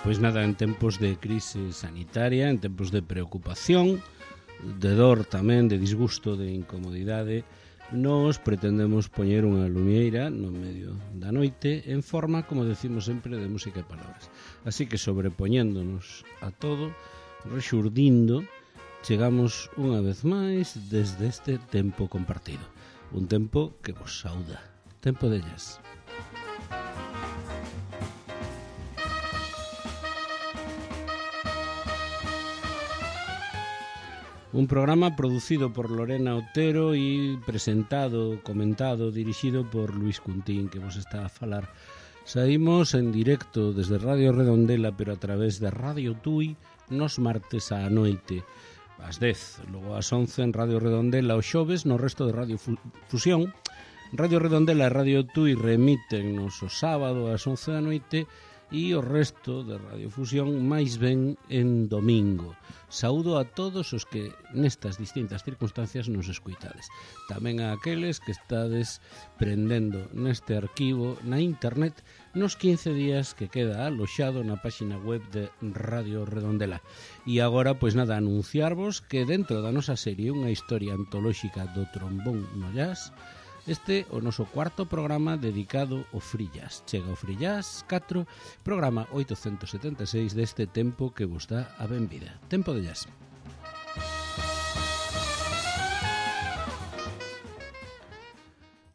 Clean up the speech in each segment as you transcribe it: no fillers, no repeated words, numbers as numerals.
Pois nada, en tempos de crise sanitaria, en tempos de preocupación, de dor tamén, de disgusto, de incomodidade, nos pretendemos poñer unha lumieira no medio da noite en forma, como decimos sempre, de música e palabras. Así que sobrepoñéndonos a todo, rexurdindo, chegamos unha vez máis desde este tempo compartido. Un tempo que vos sauda. Tempo de jazz. Un programa producido por Lorena Otero e presentado, comentado, dirixido por Luis Cuntín, que vos está a falar. Saímos en directo desde Radio Redondela, pero a través de Radio Tui, nos martes á noite, ás 10, logo ás 11 en Radio Redondela, os xoves no resto de Radio Fusión. Radio Redondela e Radio Tui remítennos o sábado ás 11 da noite e o resto de Radio Fusión máis ben en domingo. Saúdo a todos os que nestas distintas circunstancias nos escuitades. Tamén a aqueles que estades prendendo neste arquivo na internet nos 15 días que queda aloxado na páxina web de Radio Redondela. E agora, pois nada, anunciarvos que dentro da nosa serie Unha historia antolóxica do trombón no jazz, este o noso cuarto programa dedicado ao free jazz. Chega o Free Jazz 4, programa 876 deste tempo que vos dá a benvida. Tempo de jazz.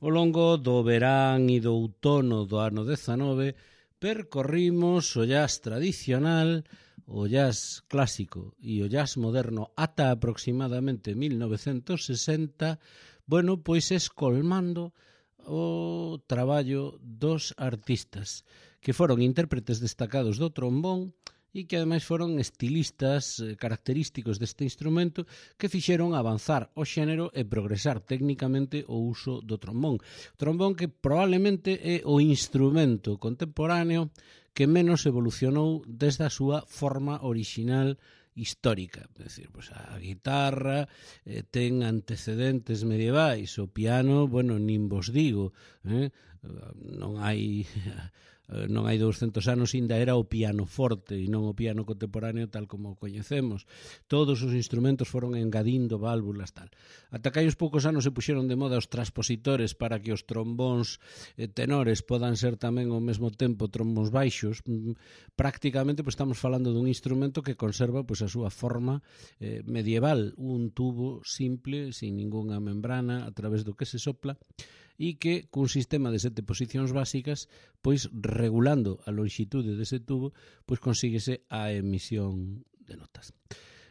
Ao longo do verán e do outono do ano 19 percorrimos o jazz tradicional, o jazz clásico e o jazz moderno ata aproximadamente 1960, bueno, pois escolmando o traballo dos artistas que foron intérpretes destacados do trombón e que ademais foron estilistas característicos deste instrumento que fixeron avanzar o xénero e progresar técnicamente o uso do trombón. Trombón que probablemente é o instrumento contemporáneo que menos evolucionou desde a súa forma orixinal histórica. É dicir, pues a guitarra ten antecedentes medievais, o piano, bueno, nin vos digo, non hai 200 anos ainda era o pianoforte e non o piano contemporáneo tal como o coñecemos. Todos os instrumentos foron engadindo válvulas tal. Ata que hai uns poucos anos se puxeron de moda os transpositores para que os trombóns tenores podan ser tamén ao mesmo tempo trombóns baixos. Prácticamente pues, estamos falando dun instrumento que conserva pues, a súa forma medieval, un tubo simple, sin ningunha membrana, a través do que se sopla, e que cun sistema de 7 posicións básicas, pois regulando a longitude dese tubo, pois consíguese a emisión de notas.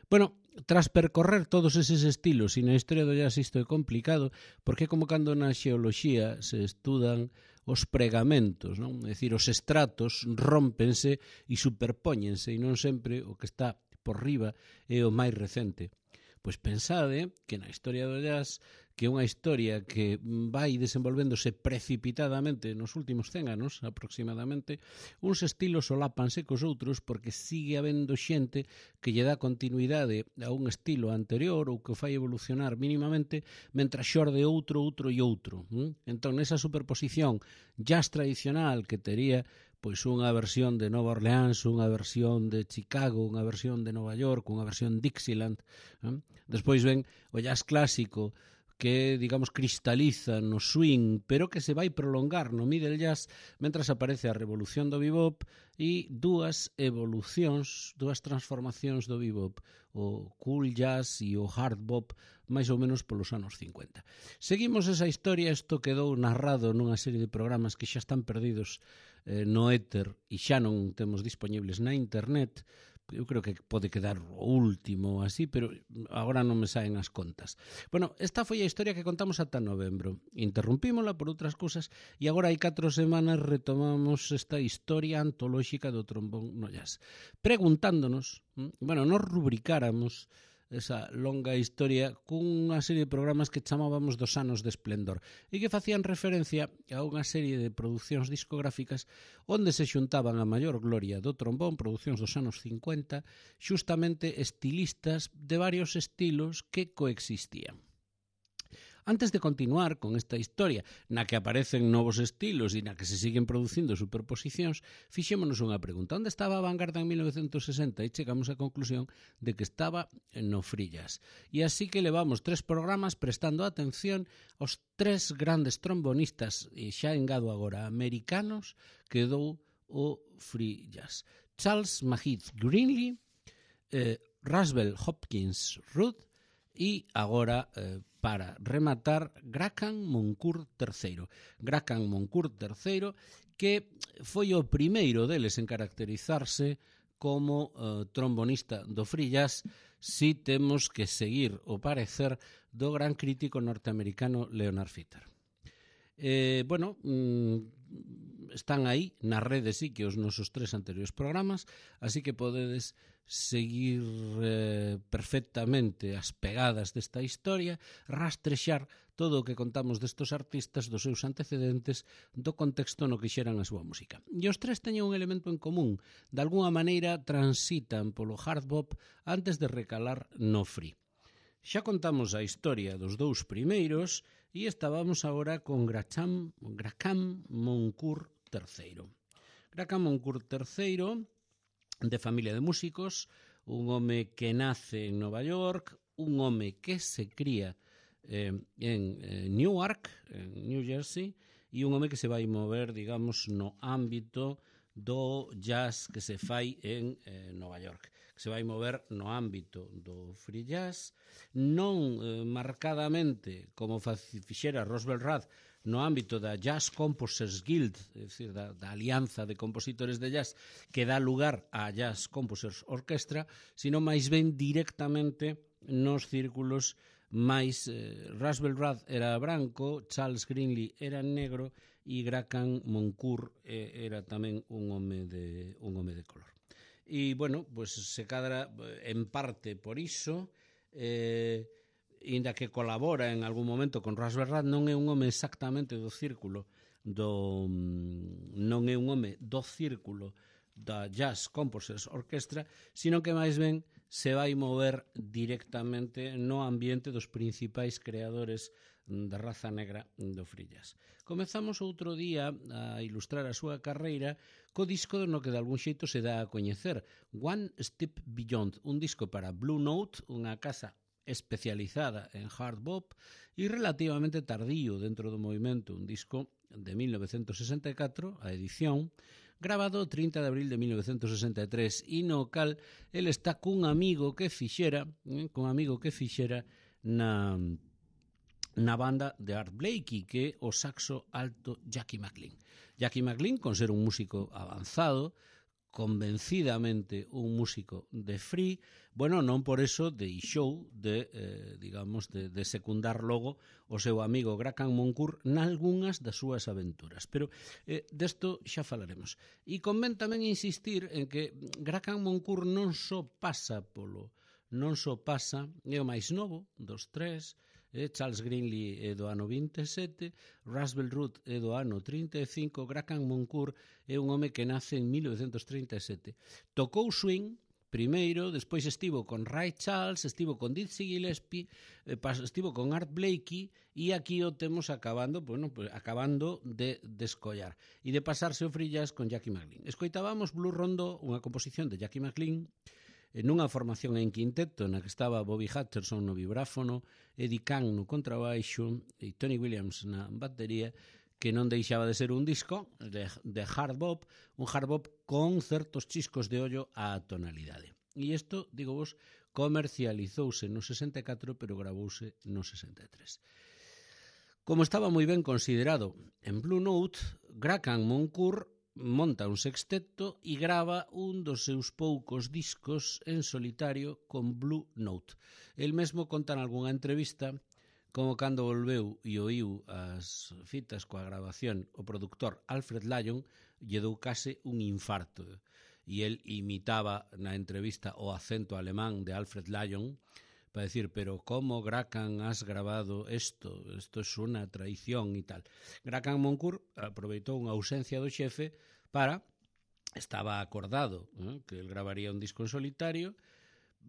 Bueno, tras percorrer todos eses estilos, e na historia do jazz isto é complicado, porque como cando na xeoloxía se estudan os pregamentos, non? É dicir, os estratos rómpense e superpóñense, e non sempre o que está por riba é o máis recente. Pois pensade que na historia do jazz, que é unha historia que vai desenvolvéndose precipitadamente nos últimos 100 anos, aproximadamente, uns estilos solápanse cos outros porque sigue habendo xente que lle dá continuidade a un estilo anterior ou que o fai evolucionar mínimamente, mentras xorde outro e outro. Entón, nesa superposición jazz tradicional que tería pois unha versión de Nova Orleans, unha versión de Chicago, unha versión de Nova York, unha versión Dixieland. Despois ven o jazz clásico que, digamos, cristaliza no swing, pero que se vai prolongar no middle jazz, mentras aparece a revolución do bebop e dúas evolucións, dúas transformacións do bebop, o cool jazz e o hard bop, máis ou menos polos anos 50. Seguimos esa historia, isto quedou narrado nunha serie de programas que xa están perdidos no éter e xa non temos disponibles na internet. Eu creo que pode quedar o último así, pero agora non me saen as contas. Bueno, esta foi a historia que contamos ata novembro. Interrumpímola por outras cousas e agora hai 4 semanas retomamos esta historia antolóxica do trombón no jazz. Preguntándonos, bueno, nos rubricáramos esa longa historia cunha serie de programas que chamábamos dos anos de esplendor e que facían referencia a unha serie de producións discográficas onde se xuntaban a maior gloria do trombón, producións dos anos 50, xustamente estilistas de varios estilos que coexistían. Antes de continuar con esta historia na que aparecen novos estilos e na que se siguen producindo superposicións, fixémonos unha pregunta. Onde estaba a vanguarda en 1960? E chegamos á conclusión de que estaba no free jazz. E así que levamos 3 programas prestando atención aos 3 grandes trombonistas, e xa engado agora americanos, que dou o free jazz. Charles Mahid Greenlee, Ruswell Hopkins Rudd e agora, para rematar, Graham Moncourt III. Graham Moncourt III, que foi o primeiro deles en caracterizarse como trombonista do free jazz, si temos que seguir o parecer do gran crítico norteamericano Leonard Feather. Están aí na rede sí que os nosos 3 anteriores programas, así que podedes seguir perfectamente as pegadas desta historia, rastrexar todo o que contamos destos artistas, dos seus antecedentes, do contexto no que xeran a súa música. E os 3 teñen un elemento en común: de alguna maneira transitan polo hard bop antes de recalar no free. Xa contamos a historia dos 2 primeiros e estábamos agora con Graham Moncourt III. Graham Moncourt III, de familia de músicos, un home que nace en Nova York, un home que se cría en Newark, en New Jersey, e un home que se vai mover, digamos, no ámbito do jazz que se fai en Nova York, que se vai mover no ámbito do free jazz, non marcadamente como fixera Roswell Rudd no ámbito da Jazz Composers Guild, é dicir, da alianza de compositores de jazz que dá lugar á Jazz Composers Orchestra, sino máis ben directamente nos círculos máis. Roswell Rudd era branco, Charles Greenlee era negro e Graham Moncourt era tamén un home de color. E, bueno, pues se cadra en parte por iso, inda que colabora en algún momento con Roswell Rudd, non é un home exactamente do círculo non é un home do círculo da Jazz Composers Orchestra, sino que máis ben se vai mover directamente no ambiente dos principais creadores da raza negra do free jazz. Comezamos outro día a ilustrar a súa carreira co disco no que de algún xeito se dá a coñecer, One Step Beyond, un disco para Blue Note, unha casa especializada en hard bop e relativamente tardío dentro do movimento, un disco de 1964, a edición, grabado o 30 de abril de 1963, e no cal el está cun amigo que fixera na banda de Art Blakey, que é o saxo alto Jackie McLean. Jackie McLean, con ser un músico avanzado, convencidamente un músico de free, bueno, non por eso deixou de secundar logo o seu amigo Graham Moncourt nalgunhas das súas aventuras, pero desto xa falaremos. E convén tamén insistir en que Graham Moncourt non só pasa, é o máis novo dos 3, Charles Greenlee é do ano 27, Ruswell Rudd é do ano 35, Graham Moncourt é un home que nace en 1937. Tocou swing primeiro, despois estivo con Ray Charles, estivo con Dizzy Gillespie, estivo con Art Blakey, e aquí o temos acabando de descollar e de pasarse o free jazz con Jackie McLean. Escoitábamos Blue Rondo, unha composición de Jackie McLean, nunha formación en quinteto na que estaba Bobby Hutcherson no vibráfono, Eddie Kahn no contrabaixo e Tony Williams na batería, que non deixaba de ser un disco de hard bop, un hard bop con certos chiscos de ollo á tonalidade. E isto, digo vos, comercializouse no 64, pero gravouse no 63. Como estaba moi ben considerado en Blue Note, Graham Moncourt monta un sexteto e grava un dos seus poucos discos en solitario con Blue Note. El mesmo conta en algunha entrevista como cando volveu e oíu as fitas coa grabación o produtor Alfred Lyon lle dou case un infarto, e el imitaba na entrevista o acento alemán de Alfred Lyon para decir, pero como Graham has grabado esto é unha traición e tal. Graham Moncourt aproveitou unha ausencia do xefe estaba acordado que el gravaría un disco en solitario,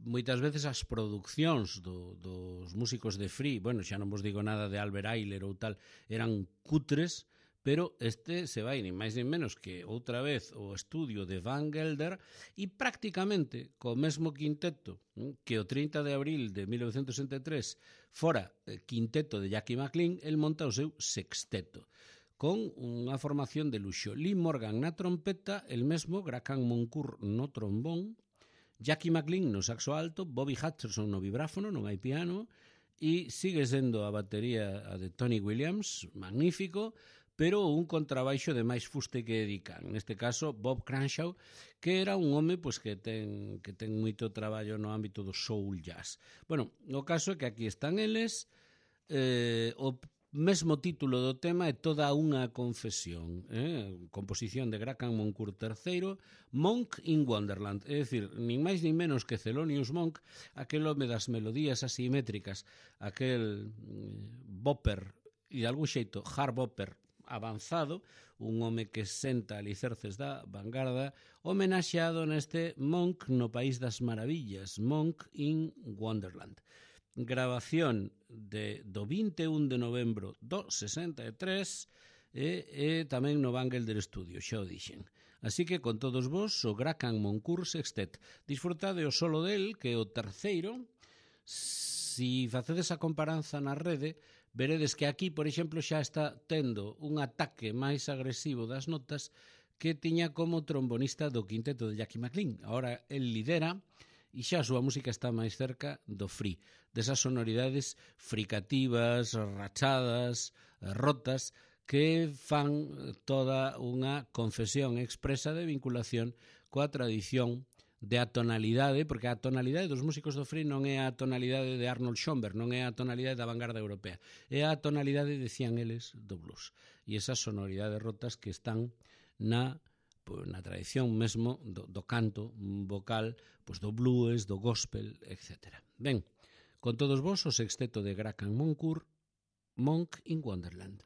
moitas veces as producións dos músicos de Free, bueno, xa non vos digo nada de Albert Ayler ou tal, eran cutres, pero este se vai nin máis nin menos que outra vez o estudio de Van Gelder e prácticamente co mesmo quinteto que o 30 de abril de 1963 fora quinteto de Jackie McLean, el monta o seu sexteto con unha formación de luxo. Lee Morgan na trompeta, el mesmo Graham Moncourt no trombón, Jackie McLean no saxo alto, Bobby Hutcherson no vibráfono, non hai piano, e sigue sendo a batería a de Tony Williams, magnífico, pero un contrabaixo de máis fuste que Edican. Neste caso, Bob Cranshaw, que era un home pois, que ten moito traballo no ámbito do soul jazz. Bueno, o caso é que aquí están eles, o mesmo título do tema é Toda unha confesión, composición de Graham Moncourt III, Monk in Wonderland, é dicir, nin máis nin menos que Thelonious Monk, aquel home das melodías asimétricas, aquel bopper e de algún xeito hard bopper avanzado, un home que senta alicerces da vanguarda, homenaxeado neste Monk no País das Maravillas, Monk in Wonderland. Grabación do 21 de novembro do 63 e tamén no Van Gelder Studio, xa o dixen. Así que con todos vos, o Graham Moncourt Sextet. Disfrutade o solo del, que é o terceiro. Si facedes a comparanza na rede, veredes que aquí, por exemplo, xa está tendo un ataque máis agresivo das notas que tiña como trombonista do quinteto de Jackie McLean. Ahora el lidera e xa a súa música está máis cerca do free, desas sonoridades fricativas, rachadas, rotas, que fan toda unha confesión expresa de vinculación coa tradición de atonalidade, porque a tonalidade dos músicos do free non é a tonalidade de Arnold Schoenberg, non é a tonalidade da vanguarda europea, é a tonalidade, decían eles, do blues. E esas sonoridades rotas que están na tradición mesmo do canto vocal, pois do blues, do gospel, etc. Ben, con todos vos o sexteto de Graham Moncourt, Monk in Wonderland.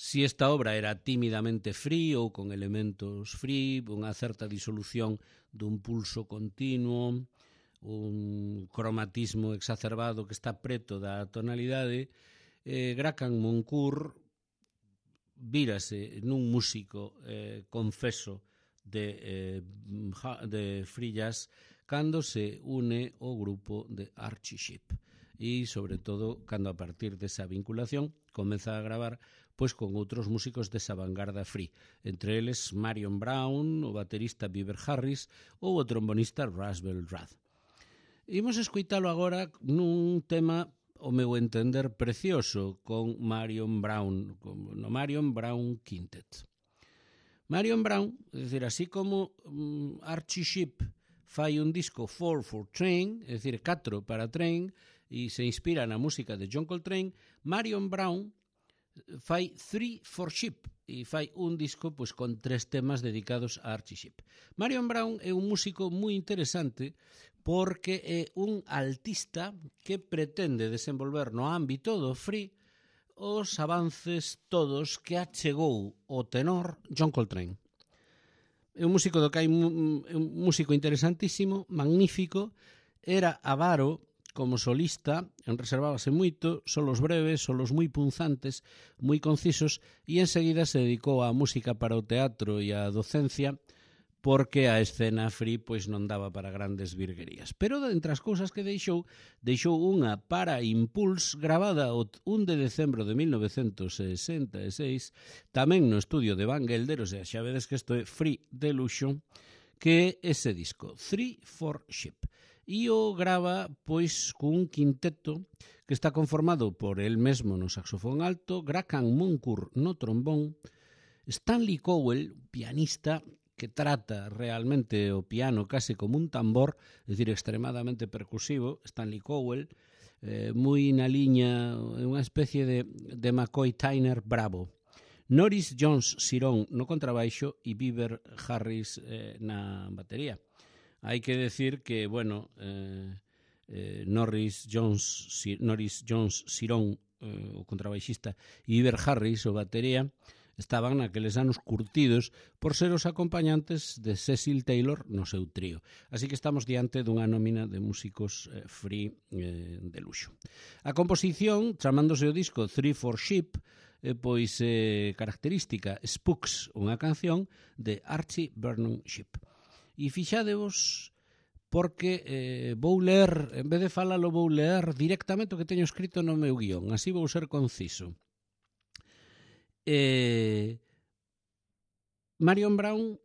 si esta obra era tímidamente free ou con elementos free, unha certa disolución dun pulso continuo, un cromatismo exacerbado que está preto da tonalidade, Graham Moncourt vírase nun músico confeso de free jazz cando se une ao grupo de Archie Shepp e, sobre todo, cando a partir desa vinculación comeza a gravar pois con outros músicos desa vanguarda free, entre eles Marion Brown, o baterista Beaver Harris ou o trombonista Russell Rudd. Imos escoitalo agora nun tema, o meu entender, precioso con Marion Brown, no Marion Brown Quintet. Marion Brown, é dicir, así como Archie Shepp fai un disco 4 for Train, é dicir, 4 para Train, e se inspira na música de John Coltrane, Marion Brown fai 3 for Shepp e fai un disco pois con 3 temas dedicados a Archie Shepp. Marion Brown é un músico moi interesante porque é un altista que pretende desenvolver no ámbito do free os avances todos que achegou o tenor John Coltrane. É un músico do que hai un músico interesantísimo, magnífico, era avaro como solista, reservábase moito, solos breves, solos moi punzantes, moi concisos, e enseguida se dedicou á música para o teatro e á docencia, porque a escena free pois non daba para grandes virguerías. Pero, entre as cousas que deixou unha para Impulse gravada o 1 de decembro de 1966, tamén no estudio de Van Gelder, o sea, xa vedes que isto é free de luxo, que é ese disco, 3 for Shepp. E o grava pois cun quinteto que está conformado por el mesmo no saxofón alto, Graham Moncourt no trombón, Stanley Cowell, pianista que trata realmente o piano case como un tambor, é dicir, extremadamente percusivo, Stanley Cowell, moi na liña, unha especie de McCoy Tyner bravo. Norris Jones Sirón no contrabaixo e Beaver Harris na batería. Hai que decir que, bueno, Norris Jones Sirón, o contrabaixista, e Beaver Harris, o batería, estaban naqueles anos curtidos por ser os acompañantes de Cecil Taylor no seu trío. Así que estamos diante dunha nómina de músicos free de luxo. A composición, chamándose o disco 3 for Shepp, pois característica Spooks, unha canción de Archie Vernon Shepp. E fixadevos porque vou ler, en vez de falalo, vou ler directamente o que teño escrito no meu guión, así vou ser conciso. Marion Brown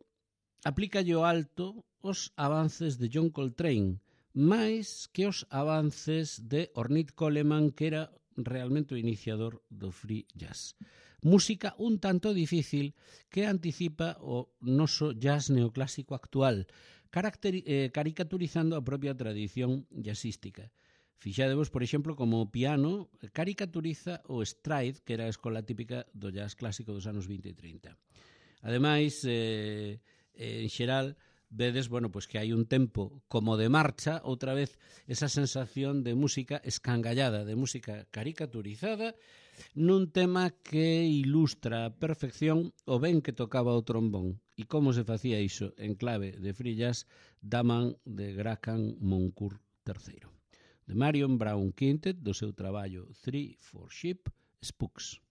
aplica yo alto os avances de John Coltrane, máis que os avances de Ornette Coleman, que era realmente o iniciador do free jazz. Música un tanto difícil que anticipa o noso jazz neoclásico actual, caricaturizando a propia tradición jazzística. Fixadevos, por exemplo, como o piano caricaturiza o stride, que era a escola típica do jazz clásico dos anos 20 e 30. Ademais, en xeral, vedes, bueno, pues que hai un tempo como de marcha, outra vez esa sensación de música escangallada, de música caricaturizada, nun tema que ilustra a perfección o ben que tocaba o trombón e como se facía iso en clave de free jazz da man de Graham Moncourt III. De Marion Brown Quintet, do seu traballo 3 for Shepp, Spooks.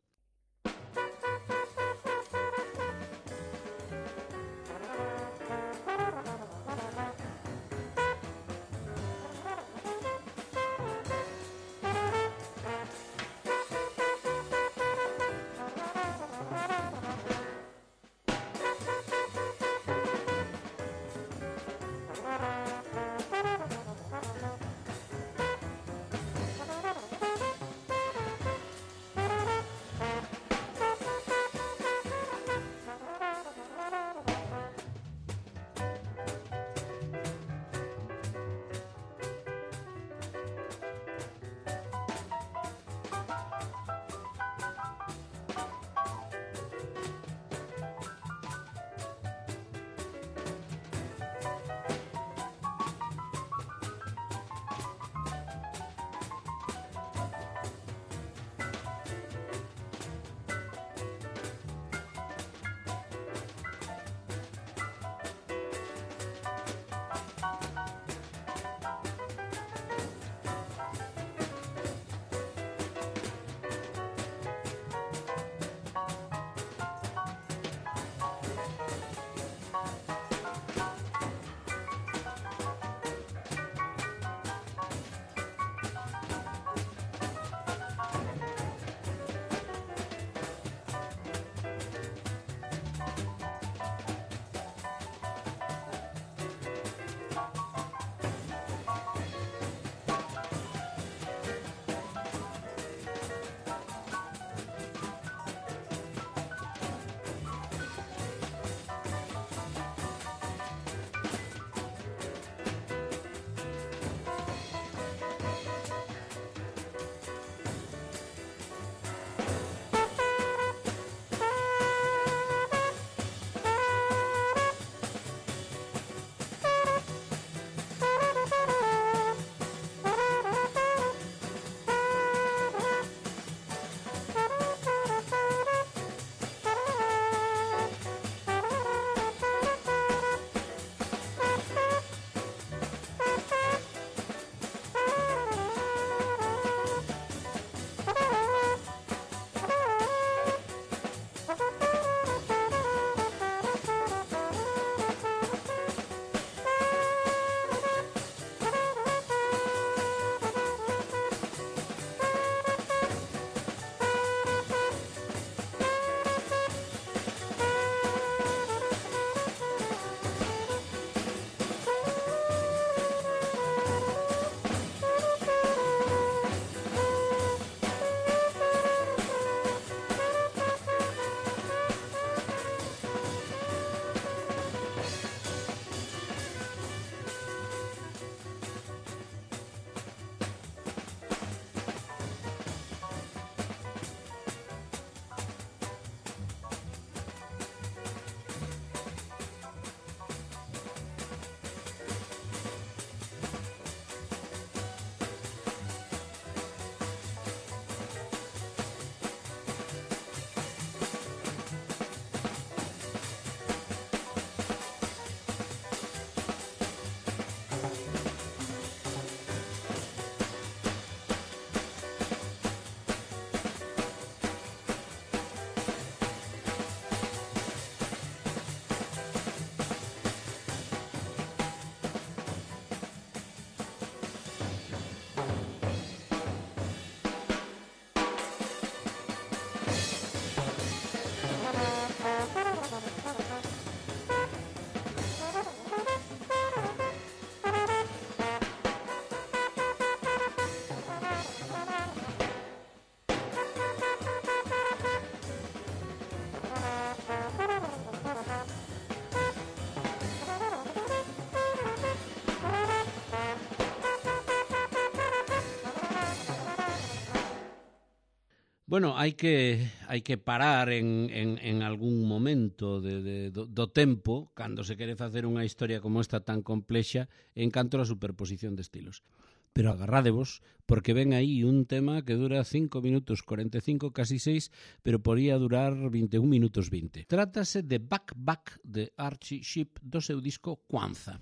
Bueno, hai que parar en algún momento do tempo cando se quere facer unha historia como esta tan complexa en canto a superposición de estilos. Pero agarrádevos, porque ven aí un tema que dura 5 minutos 45, casi 6, pero podía durar 21 minutos 20. Trátase de Back Back de Archie Shepp do seu disco Kwanzaa.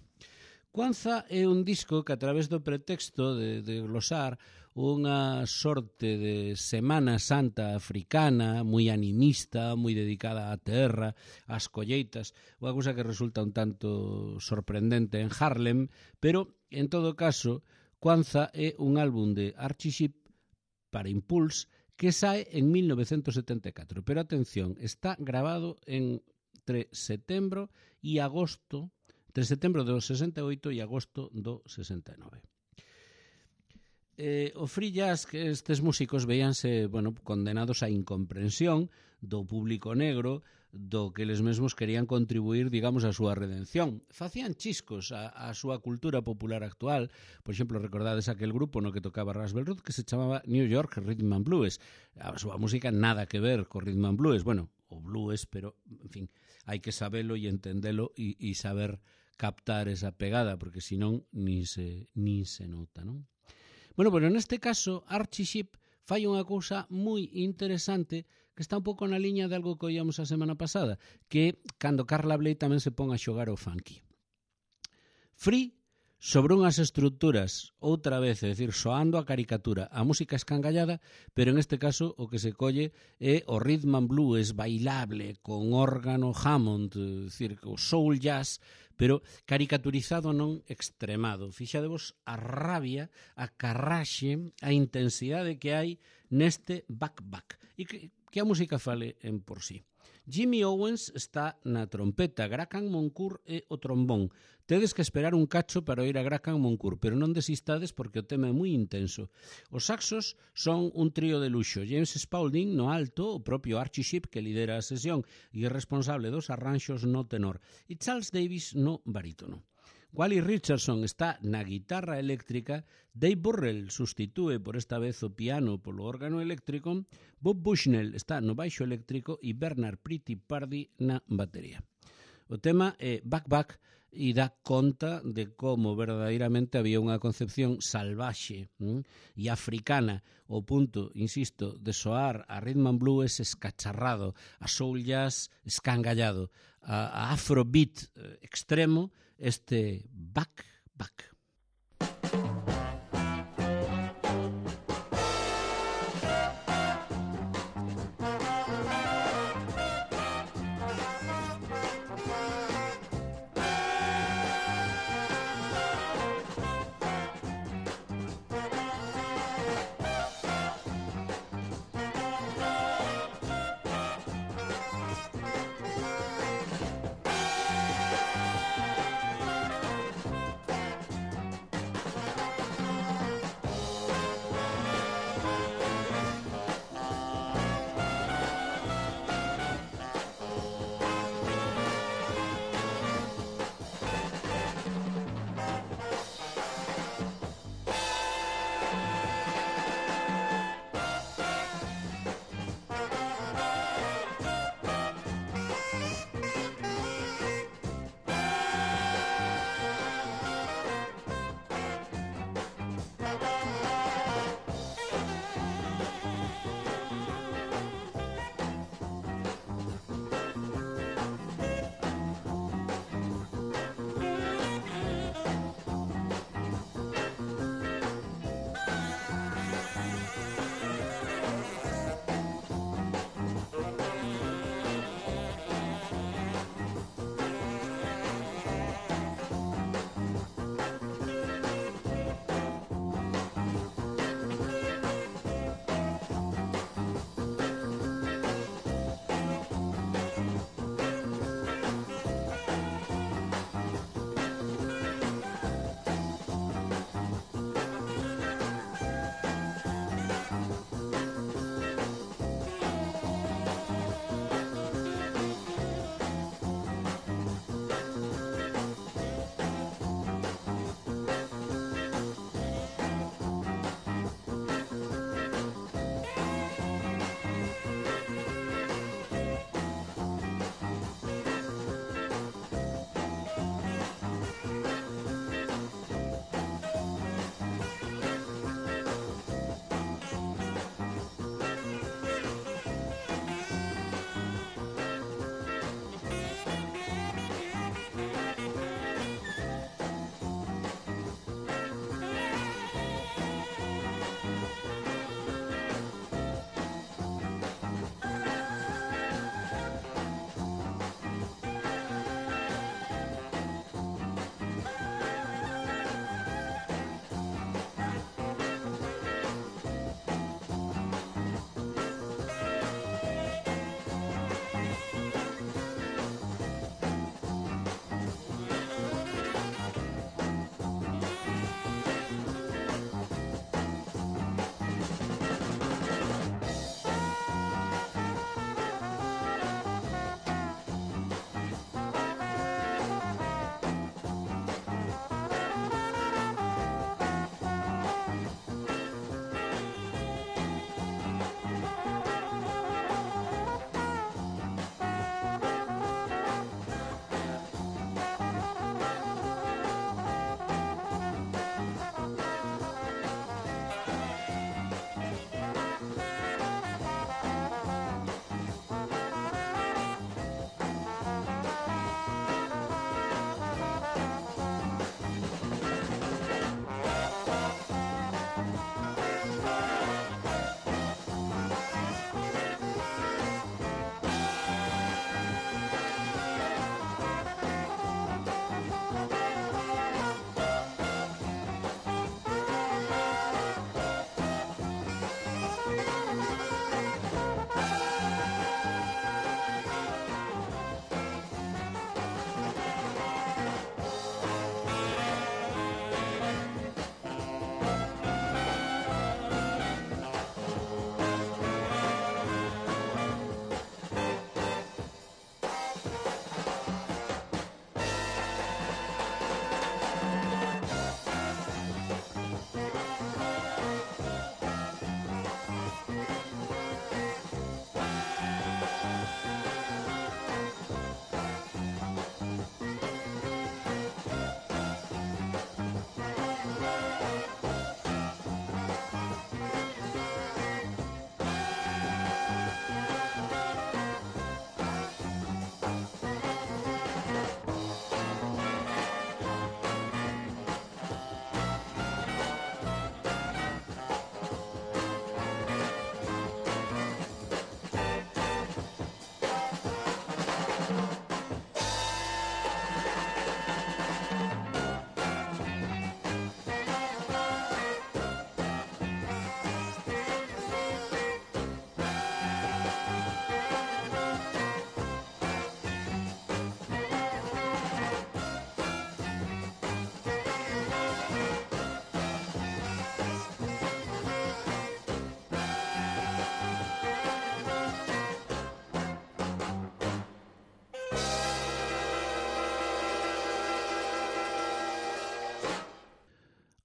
Kwanzaa é un disco que a través do pretexto de glosar unha sorte de Semana Santa africana, moi animista, moi dedicada á terra, ás colleitas, unha cousa que resulta un tanto sorprendente en Harlem, pero, en todo caso, Kwanzaa é un álbum de Archie Shepp para Impulse que sae en 1974. Pero, atención, está grabado entre setembro e agosto, entre setembro do 68 e agosto do 69. O free jazz, que estes músicos veíanse condenados á incomprensión do público negro, do que eles mesmos querían contribuir, digamos, á súa redención. Facían chiscos á súa cultura popular actual. Por exemplo, recordades aquel grupo no que tocaba Russell Root que se chamaba New York Rhythm and Blues. A súa música nada que ver co Rhythm and Blues. Bueno, o blues, pero, en fin, hai que sabelo e entendelo e saber captar esa pegada, porque senón nin se nota, non? Bueno, pero neste caso, Archie Shepp fai unha cousa moi interesante que está un pouco na liña de algo que oíamos a semana pasada, que cando Carla Bley tamén se pon a xogar o funky. Free sobre unhas estruturas, outra vez, é dicir, soando a caricatura, a música escangallada, pero en este caso o que se colle é o rhythm and blues bailable, con órgano Hammond, é dicir, o soul jazz, pero caricaturizado non extremado. Fixadevos a rabia, a carraxe, a intensidade que hai neste back-back. E que a música fale en por sí. Jimmy Owens está na trompeta, Graham Moncourt é o trombón. Tedes que esperar un cacho para oír a Graham Moncourt, pero non desistades porque o tema é moi intenso. Os saxos son un trío de luxo. James Spaulding no alto, o propio Archie Shepp que lidera a sesión e é responsable dos arranxos no tenor, e Charles Davis no barítono. Wally Richardson está na guitarra eléctrica, Dave Burrell sustitúe por esta vez o piano polo órgano eléctrico, Bob Bushnell está no baixo eléctrico e Bernard Pretty Pardy na batería. O tema é Back Back e dá conta de como verdadeiramente había unha concepción salvaxe e africana ao punto, insisto, de soar a rhythm and blues escacharrado, a soul jazz escangallado, a afrobeat extremo, este Back Back.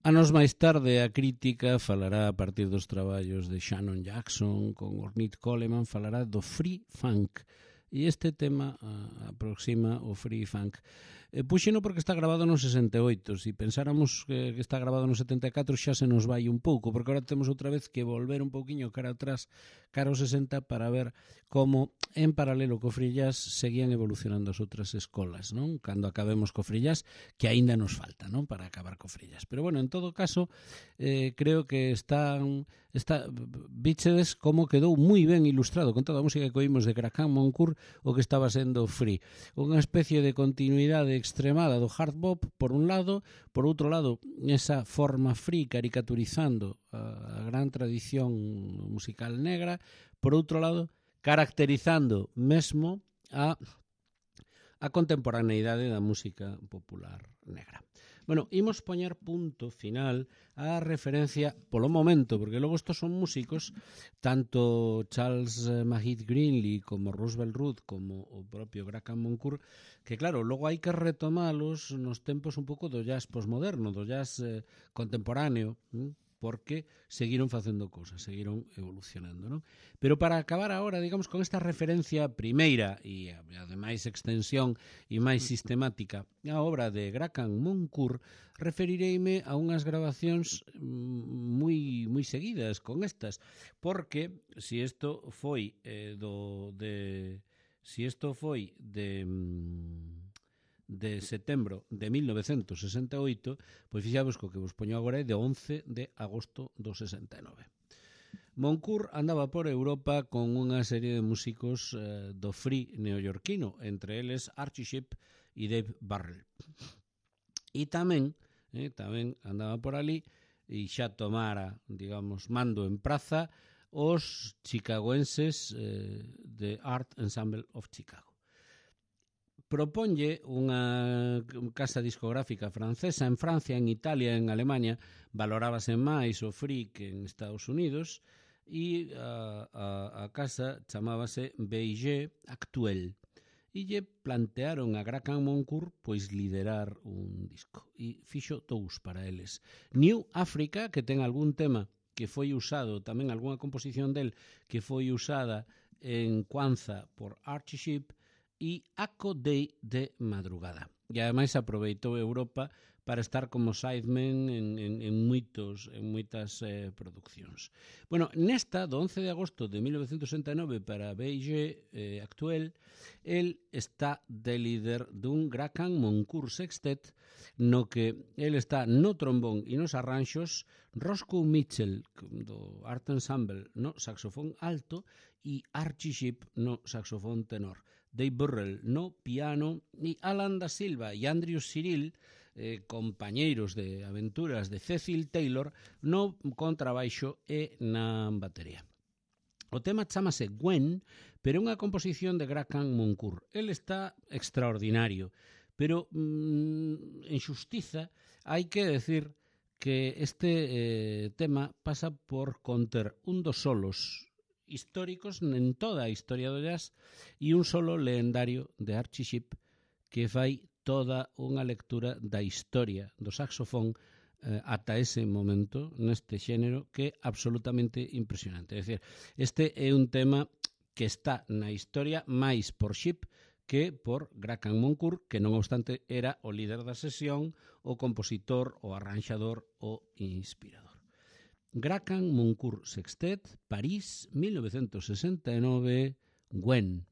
Anos máis tarde a crítica falará a partir dos traballos de Shannon Jackson con Ornette Coleman, falará do free funk, e este tema aproxima o free funk. Puxeno porque está grabado no 68. Se pensáramos que está grabado no 74 xa se nos vai un pouco, porque agora temos outra vez que volver un pouquiño cara atrás, cara ao 60, para ver como en paralelo co free jazz seguían evolucionando as outras escolas, non? Cando acabemos co free jazz, que aínda nos falta, non? Para acabar co free jazz. Pero bueno, en todo caso, creo que bichedes como quedou moi ben ilustrado con toda a música que oímos de Graham Moncourt, o que estaba sendo free. Unha especie de continuidade extremada do hard bop, por un lado, por outro lado, esa forma free caricaturizando a gran tradición musical negra, por outro lado, caracterizando mesmo a contemporaneidade da música popular negra. Bueno, imos poñer punto final á referencia polo momento, porque logo estos son músicos, tanto Charles Mahit Greenlee como Roosevelt Root como o propio Graham Moncourt, que claro, logo hai que retomalos nos tempos un pouco do jazz posmoderno, do jazz contemporáneo, porque seguiron facendo cousas, seguiron evolucionando, non? Pero para acabar agora, digamos, con esta referencia primeira e ademais extensión e máis sistemática a obra de Graham Moncourt, referireime a unhas grabacións moi seguidas con estas, porque se isto foi de setembro de 1968, pois fixavos co que vos poño agora é de 11 de agosto do 69. Moncourt andaba por Europa con unha serie de músicos do free neoyorquino, entre eles Archie Shepp e Dave Burrell. E tamén andaba por ali e xa tomara, digamos, mando en praza os chicagoenses de Art Ensemble of Chicago. Proponlle unha casa discográfica francesa en Francia, en Italia, en Alemania, valorábase máis o free que en Estados Unidos, e a casa chamábase Beige Actuel, e lle plantearon a Graham Moncourt pois liderar un disco, e fixo dous para eles. New Africa, que ten algún tema que foi usado, tamén algunha composición del que foi usada en Kwanzaa por Archie Shepp, e Aco Day de madrugada. E ademais aproveitou Europa para estar como sideman en moitas produccións. Bueno, nesta, do 11 de agosto de 1969 para Beige Actuel, el está de líder dun Graham Moncourt Sextet, no que el está no trombón e nos arranxos, Roscoe Mitchell do Art Ensemble no saxofón alto e Archie Shepp no saxofón tenor. Dave Burrell no piano e Alan da Silva e Andrew Cyril, compañeiros de aventuras de Cecil Taylor, no contrabaixo e na batería. O tema chamase Gwen, pero é unha composición de Graham Moncourt. El está extraordinario, pero en xustiza hai que decir que este tema pasa por conter un dos solos históricos en toda a historia do jazz e un solo legendario de Archie Shepp que fai toda unha lectura da historia do saxofón ata ese momento neste xénero que é absolutamente impresionante. É dicir, este é un tema que está na historia máis por Shepp que por Graham Moncourt, que non obstante era o líder da sesión, o compositor, o arranxador, o inspirador. Graham Moncourt Sextet, París, 1969, Gwen.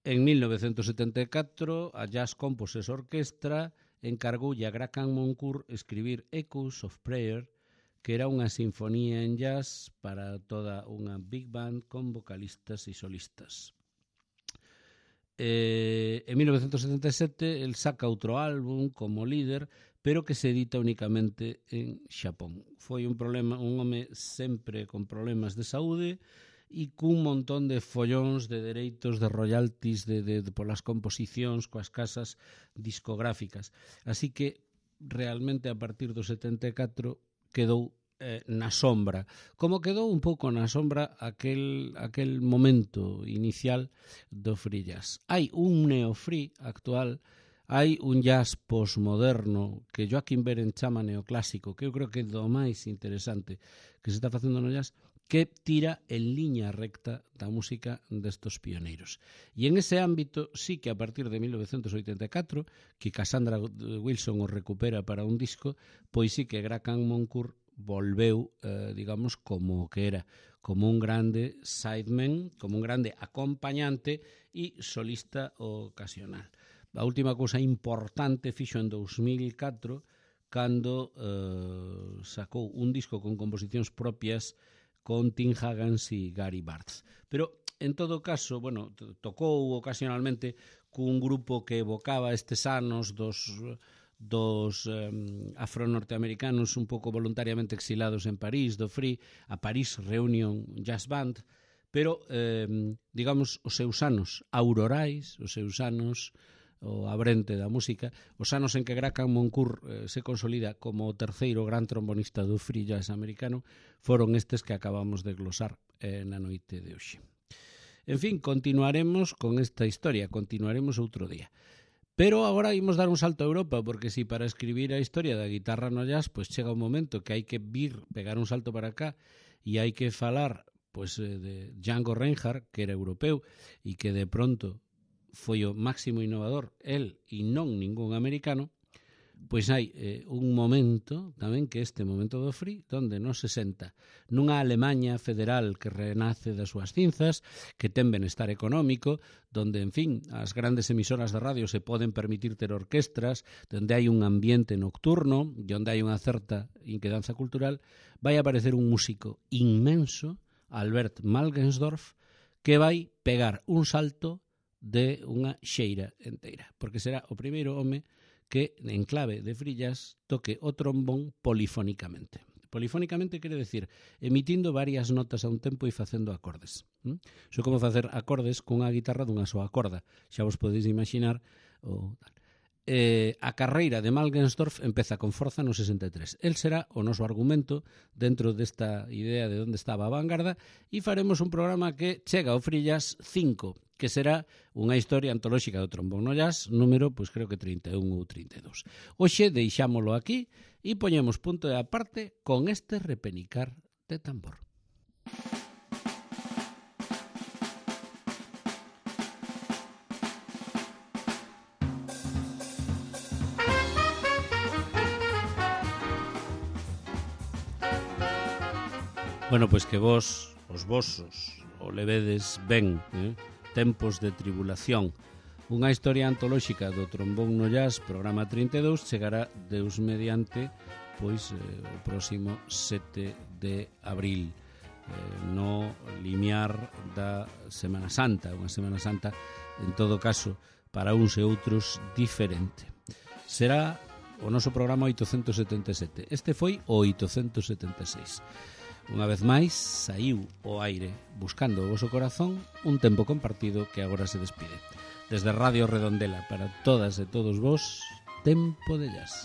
En 1974, a Jazz Composes Orquestra encargoulle a Graham Moncourt escribir Echoes of Prayer, que era unha sinfonía en jazz para toda unha big band con vocalistas e solistas. En 1977, el saca outro álbum como líder, pero que se edita únicamente en Xapón. Foi un home sempre con problemas de saúde e cun montón de follóns de dereitos, de royalties polas composicións coas casas discográficas. Así que realmente a partir do 74 quedou na sombra, como quedou un pouco na sombra aquel momento inicial do free jazz. Hai un neo-free actual, hai un jazz postmoderno que Joaquín Beren chama neoclásico, que eu creo que é do máis interesante que se está facendo no jazz, que tira en liña recta da música destos pioneiros. E en ese ámbito sí que a partir de 1984, que Cassandra Wilson o recupera para un disco, pois sí que Graham Moncourt volveu, digamos, como que era, como un grande sideman, como un grande acompañante e solista ocasional. A última cousa importante fixo en 2004, cando sacou un disco con composicións propias con Tim Higgins e Gary Bartz. Pero, en todo caso, bueno, tocou ocasionalmente cun grupo que evocaba estes anos dos afro-norteamericanos un pouco voluntariamente exilados en París, do Free, a París Reunion Jazz Band, pero, digamos, os seus anos aurorais, os seus anos o abrente da música, os anos en que Graham Moncourt se consolida como o terceiro gran trombonista do free jazz americano, foron estes que acabamos de glosar na noite de hoxe. En fin, continuaremos con esta historia, continuaremos outro día. Pero agora imos dar un salto a Europa, porque si para escribir a historia da guitarra no jazz, pues chega un momento que hai que pegar un salto para acá e hai que falar pues, de Django Reinhardt, que era europeu e que de pronto foi o máximo innovador, el e non ningún americano, pois hai un momento tamén que este momento do free, donde non se senta nunha Alemanha federal que renace das súas cinzas, que ten benestar económico, donde, en fin, as grandes emisoras de radio se poden permitir ter orquestras, donde hai un ambiente nocturno e onde hai unha certa inquedanza cultural, vai aparecer un músico inmenso, Albert Malgensdorf, que vai pegar un salto de unha xeira enteira, porque será o primeiro home que, en clave de free jazz, toque o trombón polifónicamente. Polifónicamente quere decir emitindo varias notas a un tempo e facendo acordes. Iso como facer acordes cunha guitarra dunha soa corda. Xa vos podeis imaginar o tal. A carreira de Malgensdorf empeza con forza no 63. El será o noso argumento dentro desta idea de onde estaba a vanguarda e faremos un programa que chega ao Free Jazz 5, que será unha historia antolóxica do trombón no jazz, número, pois creo que 31 ou 32. Hoxe deixámolo aquí e poñemos punto de aparte con este repenicar de tambor. Bueno, pois que vos, os vosos, o levedes ben, tempos de tribulación. Unha historia antolóxica do trombón no jazz, programa 32, chegará Deus mediante, pois o próximo 7 de abril, no limiar da Semana Santa, unha Semana Santa, en todo caso, para uns e outros diferente. Será o noso programa 877. Este foi o 876. Unha vez máis, saiu ao aire buscando o voso corazón un tempo compartido que agora se despide. Desde Radio Redondela para todas e todos vos, Tempo de Jazz.